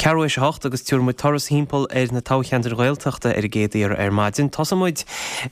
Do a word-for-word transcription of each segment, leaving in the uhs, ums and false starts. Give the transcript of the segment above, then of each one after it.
Ceathrú théis a hocht agus tabharfaidh muid turas thimpeall ar na toghcheantair Ghaeltachta ar an gcéad iarraidh ar maidin. Tosóidh muid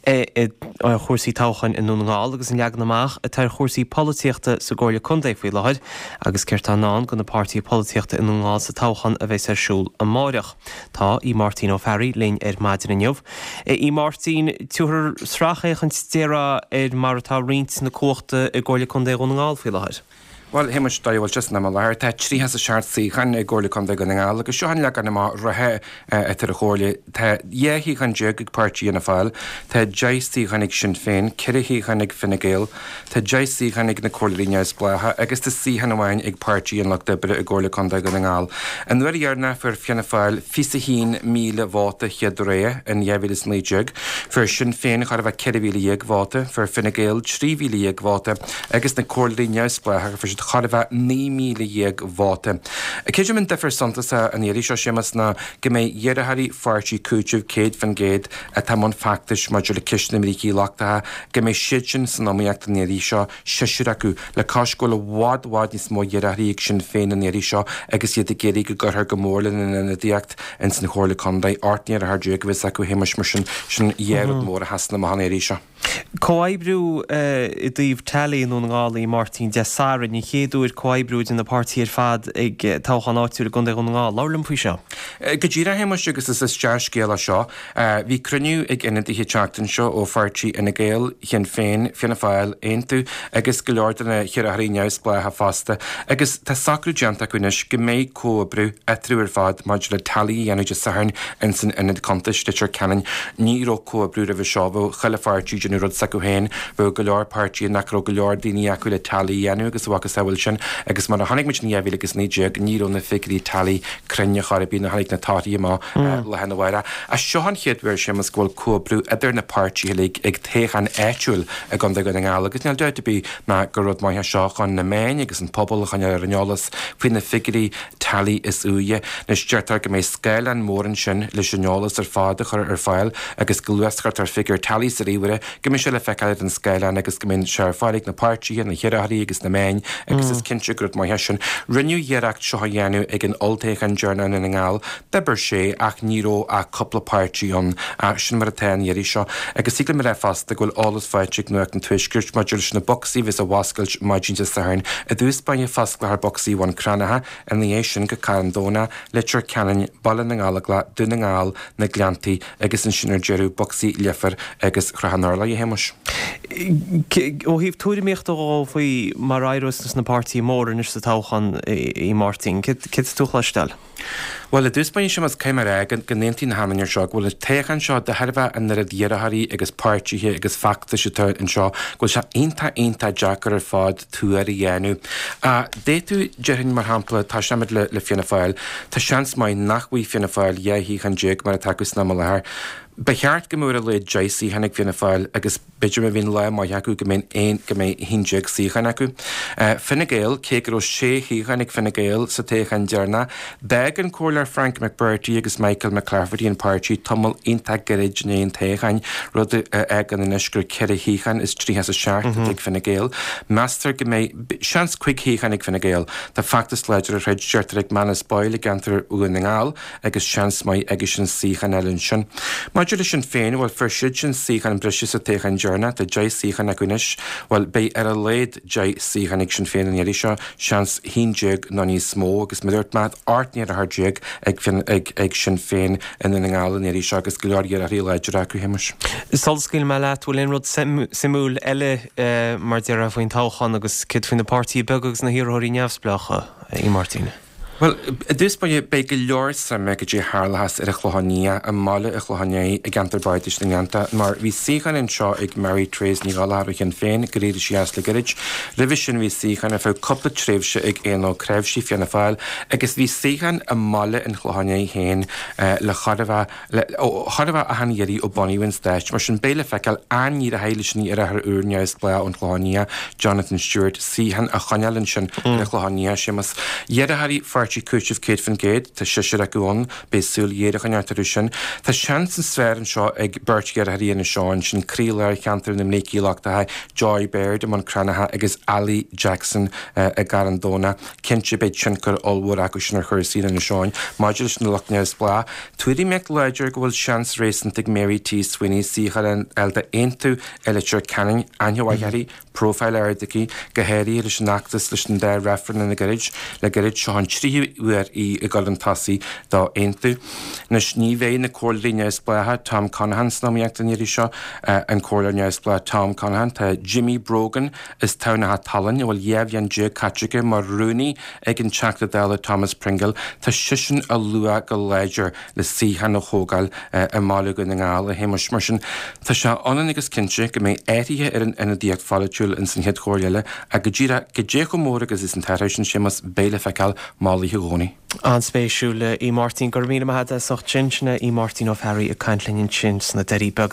ar chúrsaí toghcháin i nDún na nGall agus an leagan amach atá ar chúrsaí polaitíochta sa gComhairle Contae faoi láthair agus céard atá i ndán do na páirtithe polaitíochta i nDún na nGall sa toghchán a bheas ar siúl amárach. Tá Aodh Máirtín Ó Fearraigh linn ar maidin inniu. Aodh Máirtín, tabhair sracfhéachaint deiridh ar mar atá roinnt na cumhachta i gComhairle Contae Dhún na nGall faoi láthair. Bhuel, Shéamais, dóigh a bhfuil sé san am i láthair, tá tríocha is a seacht suíochán i gComhairle Contae Dhún na nGall agus seo an leagan amach reatha atá ar an chomhairle. Tá dhá shuíochán déag ag páirtí Fhianna Fáil, tá deich suíochán ag Sinn Féin, ceithre shuíochán ag Fine Gael, tá deich suíochán ag na Comhairleoirí Neamhspleácha agus tá suíochán amháin ag Páirtí an Lucht Oibre i gComhairle Contae Dhún na nGall. An uair dheireanach fuair Fianna Fáil fiche a haon míle vóta chéad rogha in dhá mhíle is naoi déag, fuair Sinn Féin chóir a bheith ceithre mhíle dhéag vóta, fuair Fine Gael trí mhíle dhéag vóta agus na Comhairleoirí Neamhspleácha fuair siad chóir a bheith naoi míle dhéag vóta. Creidim an difear suntasach an iarraidh seo, Séamus, ná go mbeidh iarrthóirí pháirtí Cúiteamh céad faoin gcéad atá i mbun feachtais maidir le ceist na mbrící lochtacha, go mbeidh siad sin san iomaíocht an iarraidh seo, seisear acu, le cois go bhfuil i bhfad, bhfad níos mó iarrthóirí ag Sinn Féin an iarraidh seo agus iad ag iarraidh go gcuirfear go mór lena n-ionadaíocht ins an Chomhairle Contae. Ocht n-iarrthóir déag a bheas acu, a Shéamais, mar sin, sin dhá rud mór a sheasann amach an iarraidh seo. Comhoibriú i dtaobh tally i nDún na nGall, a Mháirtín, Dé Sathairn, an chéad uair comhoibriú idir na páirtithe ar fad ag toghchán áitiúil i gContae Dhún na nGall. Labhair liom faoi seo. Go díreach, a Shéamais, agus is is dea-scéal é seo. Bhí cruinniú ag ionadaithe an tseachtain seo ó pháirtí Fhine Gael, Shinn Féin, Fianna Fáil, Aontú agus go leor de na hiarrthóirí neamhspleácha fosta agus tá socrú déanta acu anois go mbeidh comhoibriú eatarthu ar fad maidir le tally a dhéanamh Dé Sathairn ins an Ionad Cuntais, Leitir Ceanainn. Ní raibh comhoibriú roimhe seo, bheadh chuile pháirtí ag déanamh rud s'acu féin, bheadh go leor páirtithe nach raibh go leor daoine acu le tally a dhéanamh agus a mhacasamhail sin agus mar a chonaic muid in dhá mhíle agus naoi déag ní raibh na figiúirí tally cruinn ar chor ar bith nuair a tháinig na torthaí amach lá arna mhárach. Ach seo an chéad uair, Séamus, go bhfuil comhoibriú idir na páirtithe uilig ag toghchán áitiúil i gContae Dhún na nGall agus níl dabht ar bith ná gur rud maith é seo chun na meáin agus an pobal a choinneáil ar an eolas faoi na figiúirí tally is úire. Anois deirtear go mbeidh scáileán mór ansin leis an eolas ar fad a chur ar fáil agus go luath is a chuirtear figiúr tally sa ríomhaire go mbeidh sé le feiceáil ar an scáileán agus go mbeidh sé ar fáil ag na páirtithe, na hiarrthóirí agus na meáin agus is cinnte gur rud maith é sin. Rinneadh iarracht seo a dhéanamh ag an olltoghchán deireanach i nDún na nGall. D'oibir sé ach ní raibh ach cúpla páirtí ann. Ach sin mar atá an iarraidh seo. Agus thig liom a rá fosta go bhfuil eolas faighte ag Nuacht an Tuaiscirt maidir leis na bocsaí a bheas á bhfoscailt maidin Dé Sathairn. I dtús báire fosclófar bocsaí Bhun Cranncha, ina dhiaidh sin go Carn Domhnach, Leitir Ceanainn, Baile na nGallóglach, Dún na nGall, Na Gleanntaí agus ansin ar deireadh bocsaí Leifear agus Shrath an Urláir, a Shéamais. Ó thaobh tuairimíochta dhó faoi mar a éireos leis na páirtithe móra anois sa toghchán, a Mháirtín, céard atá tú a chloisteáil? Bhuel, i dtús báire, Séamus, caithfidh mé a rá go n-aontaím le hachan duine anseo go bhfuil an toghchán seo, de thairbhe an oiread iarrthóirí agus páirtithe agus feachtais atá anseo, go bhfuil sé iontach, iontach deacair ar fad tuar a dhéanamh. D'fhéadfadh, déarfainn, mar shampla, tosóimid le Fianna Fáil, tá seans maith nach bhfaighidh Fianna Fáil dhá shuíochán déag mar atá acu san am i láthair. Ba cheart go mbeadh ar a laghad deich suíochán ag Fianna Fáil agus b'fhéidir má bhíonn lá maith acu go mbeidh aon go mbeidh haon déag suíochán acu. Fine Gael, cé go raibh sé shuíochán ag Fine Gael sa toghchán deireanach, d'fhág an Comhairleoir Frank McBrearty agus Michael McClafferty an páirtí tamall iontach gairid i ndiaidh an toghcháin, rud a fhágann anois gur ceithre shuíochán is tríocha is a seacht atá ag Fine Gael. Meastar go mbeidh seans cúig shuíochán ag Fine Gael. Tá feachtas láidir á throid, deirtear, ag Manus Boyle i gceantar Dhún na nGall agus seans maith aigesean suíochán a fháil ansin. Maidir le Sinn Féin, bhuel, fuair siadsan suíochán breise sa toghchán deireanach, tá deich suíochán acu anois, bhuel, beidh ar a laghad deich suíochán ag Sinn Féin an iarraidh seo, seans haon déag nó níos mó, agus mar a dúirt mé, ocht n-iarrthóir déag ag, ag, ag Sinn Féin i nDún na nGall an iarraidh seo agus go leor iarrthóirí láidre acu, a Shéamais. Sula scaoilfidh mé leat, bhfuil aon rud suimiúil eile mar déarfá faoin toghchán agus céard faoi na páirtithe beaga agus na hiarrthóirí neamhspleácha, a Mháirtín? Bhuel, i dtús báire, beidh go leor suime goidé a tharlóchas ar an Chlochán Liath, i mbaile an Chlocháin Léith, i gceantar Bardais na nGleannta, mar bhí suíochán anseo ag Mary Therese Ní Ghallchóir ó Shinn Féin gur éirigh sí as le gairid. Roimhe sin bhí suíochán ar feadh cúpla tréimhse ag Aodhán Ó Cnáimhsí, Fianna Fáil, agus bhí suíochán i mbaile an Chlocháin Léith féin le chóir a bheith le chóir a bheith achan iarraidh ó bunaíodh an stáit. Mar sin, beidh le feiceáil an n-éireoidh leis an iarrthóir úr neamhspleách ón Chlochán Liath, Jonathan Stewart, suíochán a choinneáil ansin ar an Chlochán Liath, Séamus. Iarrthóirí Pháirtí pháirtí cúiteamh céad faoin gcéad, tá seisear acu ann, beidh súil ghéar a choinneáil orthu sin. Tá seans níos fearr anseo ag beirt dheartháirí Inis Eoghain, sin croílár cheantar na mBrící Lochtacha, Joy Baird i mBun Cranncha agus Ali Jackson i gCarn Domhnach. Cinnte beidh tionchar ollmhór acu sin ar chúrsaí in Inis Eoghain. Maidir leis na lucht neamhspleách, tuairimíocht láidir go bhfuil seans réasúnta ag Mary T Sweeney suíochán a fháil d'Aontú i Leitir Ceanainn, aithne mhaith uirthi, profile ard aici, go háirithe leis an fheachtas leis an dá reifreann le gairid, le gairid, seo an tríú huair í ag dul chun tosaigh d'Aontú. Anois ní bheidh na comhairleoirí neamhspleácha Tom Conaghan san iomaíocht an iarraidh seo, an comhairleoir neamhspleách Tom Conaghan, tá Jimmy Brogan as Tamhnach Talainn, a bhfuil dhá bhliain déag caite aige mar rúnaí ag an Teachta Dála Thomas Pringle, tá seisean á lua go láidir le suíochán a thógáil i mBaile Dhún na nGall, a Shéamais. Mar sin, tá sé ionann agus cinnte go mbeidh athruithe ar an ionadaíocht pholaitiúil ins an chéad chomhairle eile, ach go díreach, goidé chomh mór agus is an t-athrú sin, Séamus, beidh le feiceáil mall oíche Dhomhnaigh. An-spéisiúil, a Mháirtín. Go raibh míle maith agat as ucht sin. Sin é Máirtín Ó Fearraigh ag caint linn ansin sna Doirí Beaga.